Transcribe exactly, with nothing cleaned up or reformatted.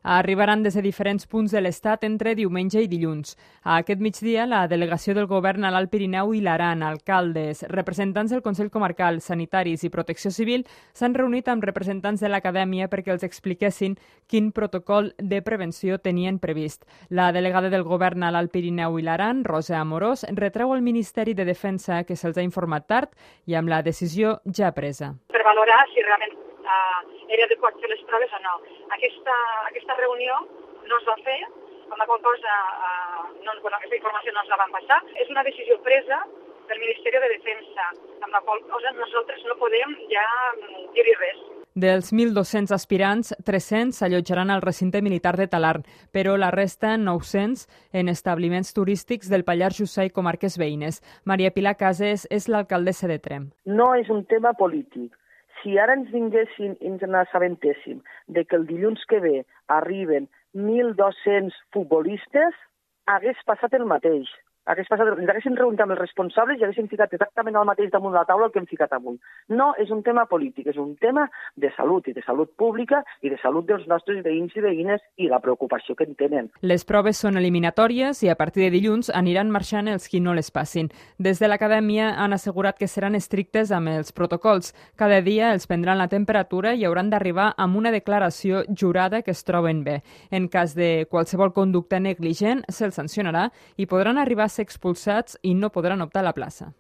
Arribaran des de diferents punts de l'Estat entre diumenge i dilluns. A aquest migdia, la delegació del govern a l'Alt Pirineu i l'Aran, alcaldes, representants del Consell Comarcal, sanitaris i Protecció Civil s'han reunit amb representants de l'acadèmia perquè els expliquessin quin protocol de prevenció tenien previst. La delegada del govern a l'Alt Pirineu i l'Aran, Rosa Amorós, retreu al Ministeri de Defensa que se'ls ha informat tard i amb la decisió ja presa. Per valorar si realment uh, era adequat fer les proves o no. Aquesta, aquesta reunió no es va fer, amb la qual cosa uh, no, bueno, aquesta informació no ens la van passar. És una decisió presa del Ministeri de Defensa, amb la qual cosa nosaltres no podem ja dir-hi res. Dels mil dos-cents aspirants, tres-cents s'allotjaran al recinte militar de Talarn, però la resta, nou-cents, en establiments turístics del Pallars Jussà i comarques veïnes. Maria Pilar Cases és l'alcaldessa de Tremp. No és un tema polític. Si ara ens vinguessin i ens n'assabentéssim de que el dilluns que ve arriben mil dos-cents futbolistes, hagués passat el mateix. Hagués passat, ens haguéssim reunit amb els responsables i haguéssim ficat exactament el mateix damunt de la taula el que hem ficat avui. No és un tema polític, és un tema de salut i de salut pública i de salut dels nostres veïns i veïnes i la preocupació que en tenen. Les proves són eliminatòries i a partir de dilluns aniran marxant els qui no les passin. Des de l'acadèmia han assegurat que seran estrictes amb els protocols. Cada dia els prendran la temperatura i hauran d'arribar amb una declaració jurada que es troben bé. En cas de qualsevol conducta negligent, se'ls sancionarà i podran arribar a ser expulsats i no podran optar a la plaça.